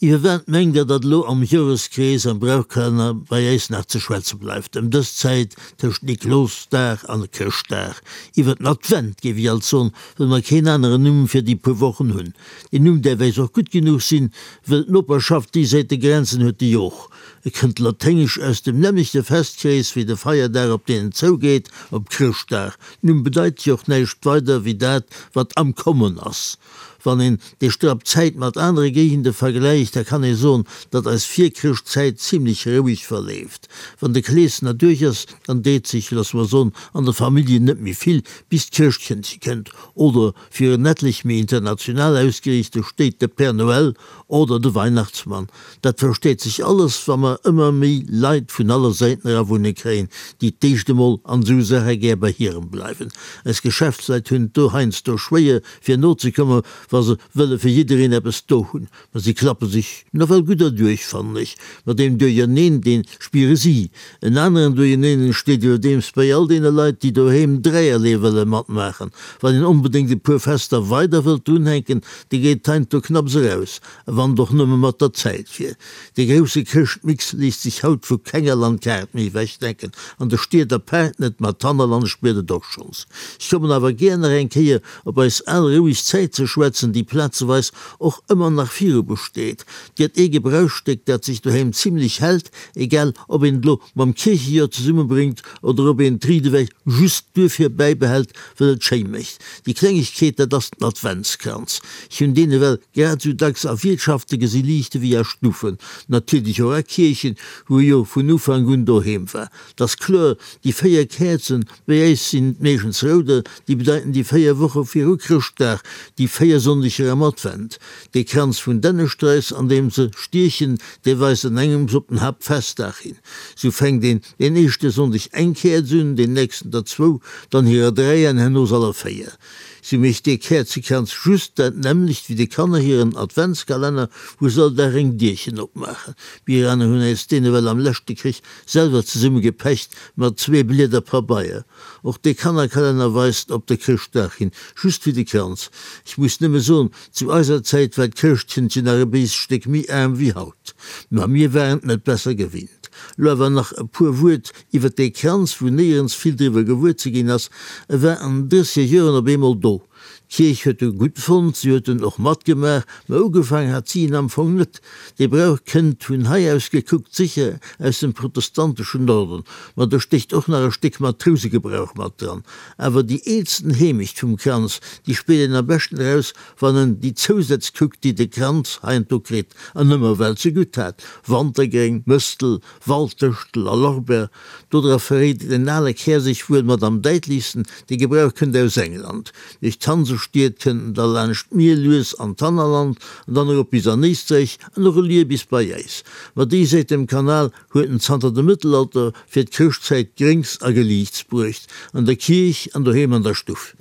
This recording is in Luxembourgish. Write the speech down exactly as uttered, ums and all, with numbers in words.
Iwwer wat mengt Der, datt elo am Joreskrees am Brauchkalenner bei äis nach ze schwätze bleift ëm dës Zäit tëscht Niklosdag an Chrëschtdag? Iwwer den Advent, géif ech alt soen, wëll mer keen aneren Numm fir déi puer Wochen hunn. Deen Numm däerf äis och gutt genuch sinn, wëll d'Noperschaft déi Säit de Grenzen huet déi och. E kënnt laténgesch aus dem nämmlechte Festkrees wéi de Feierdag, op deen en zougeet, op Chrëschtdag. Numm bedeit jo och näischt weider wéi dat, wat am Kommen ass. Wann een déi Strapp Zäit mat anere Géigende vergläicht, da kann ee soen, datt eis Virchrëschtzäit zimlech roueg verleeft. Wann de Kleeschen erduerch ass, dann deet sech, loosse mer soen, an de Familljen net méi vill, bis d'Chrëschtkëndche kënnt, oder fir en etlech méi international ausgeriichte Stéit de Père Noël oder de Weihnachtsmann. Dat versteet sech alles, wa mer ëmmer méi Leit vun aller Säiten era wunne kréien, déi d'éischt emol an esou Saache gär bei hirem bleiwen. Eis Geschäftsleit hunn et do heiansdo schwéier fir nozekommen, wa se wëlle fir jiddereen eppes do hunn. Ma si klappe sech nawell gutt erduerch, fannen ech. Mat deem Duerjerneen, dee spiere si. En aneren Duerjerneen entsteet iwwerdeems bei all deene Leit, déi doheem dräierlee wëlle matmaachen. Wann een onbedéngt e puer Fester weider wëllt drunhänken, da geet heiansdo knapps eraus, a wann et och nëmme mat der Zäit wier. Dee grousse Chrëschtmix léisst sech haut vu kenger Landkaart méi ewechdenken, an de Stied apaart net, ma d'Hannerland spiert et och schonns. Ech kommen awer gär nach eng Kéier op eis al roueg Zäit ze schwätzen, déi plazeweis och ëmmer nach viru besteet. Et gëtt ee Gebrauchsstéck, dat sech doheem zimlech hält, egal ob een et elo mam Kierchejoer zesummebréngt oder ob een d'Ried ewech just duerfir bäibehält, wëll et schéi mécht. Déi Klengegkeet, dat ass den Adventskranz. Ech hunn deen ewell grad esou dacks a Wiertschafte gesi liichte wéi a Stuffen, natierlech och a Kierchen, wou e jo vun Ufank un doheem war. 't ass kloer, déi véier Käerzen, bei äis sinn et meeschtens rouder, déi bedeiten déi véier Woche viru Chrëschtdag, déi véier Sonndeger am Advent. Dee Kranz vun Dännesträiss, an deem se stiechen, dee weist an engems op den Haaptfestdag hin. Sou fänkt een deen éischte Sonndeg eng Käerz un, deen nächsten der zwou, dann hirer dräi an herno aller véier. Sou mécht dee Käerzekranz just dat nämmlecht wéi de Kanner hiren Adventskalenner, wou se all Dag eng Dierchen opmaachen. Mir aner hunn äis deen ewell am leschte Krich selwer zesummegepecht mat zwee Blieder Pabeier. Och dee Kannerkalenner weist op de Chrëschtdag hin, just wéi de Kranz. Ech muss nëmme soen, zu eiser Zäit war d'Chrëschtkëndchen nach e béisst Stéck méi aarm wéi haut. Ma mir waren et net besser gewinnt. Lo awer nach e puer Wuert iwwer dee Kranz, wou néierens vill driwwer gewuer ze ginn ass. E war an den drësseger Joren op eemol do. D'Kierch huet e gutt fonnt, si huet en och matgemaach, mä ugefaangen hat si en am Fong net. Dee Brauch kënnt, vun hei aus gekuckt, sécher aus dem protestanteschen Norden, ma do stécht och nach e Stéck Matrousegebrauch mat dran. Awer déi eelsten Heemecht vum Kranz, déi spiert een am beschten eraus, wann en déi Zousätz kuckt, déi de Kranz heiansdo kritt an ëmmer well ze gutt hat, Wantergréng, Mëstel, Walddëschtel a Lorbeer. Dodra verréit en ale Kär sech wuel mat am däitlichsten, dee Gebrauch kënnt aus England. Duerch d'Hansestied kënnt en da laanscht d'Mier lues an d'Hannerland an dann erop bis an Éisträich an och elier bis bei äis. Ma déi Säit dem Kanal huet en zanter dem Mëttelalter fir d'Chrëschtzäit Gréngs a Geliichts bruecht, an der Kierch an doheem an der Stuff.